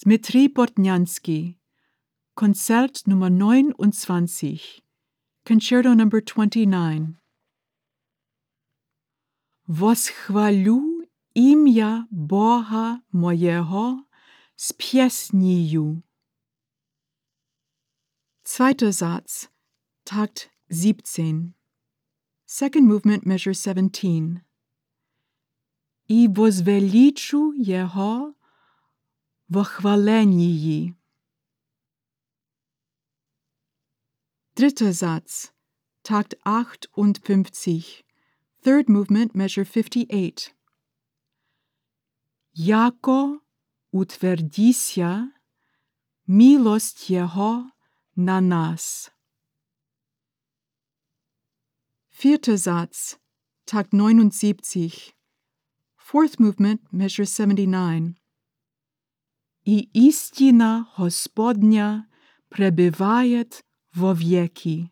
Dmitri Bortnyansky, Konzert Nummer 29, Concerto Number 29. Восхвалю ім'я Бога моєго з піснею. Zweiter Satz, Takt 17. Second movement, measure 17. І возвеличу його во хваленії. Dritter Satz, Takt 58. Third movement, measure 58. Яко утвердися милость Його на нас. Vierter Satz, Takt 79. Fourth movement, measure 79. І істина Господня пребиває вовеки.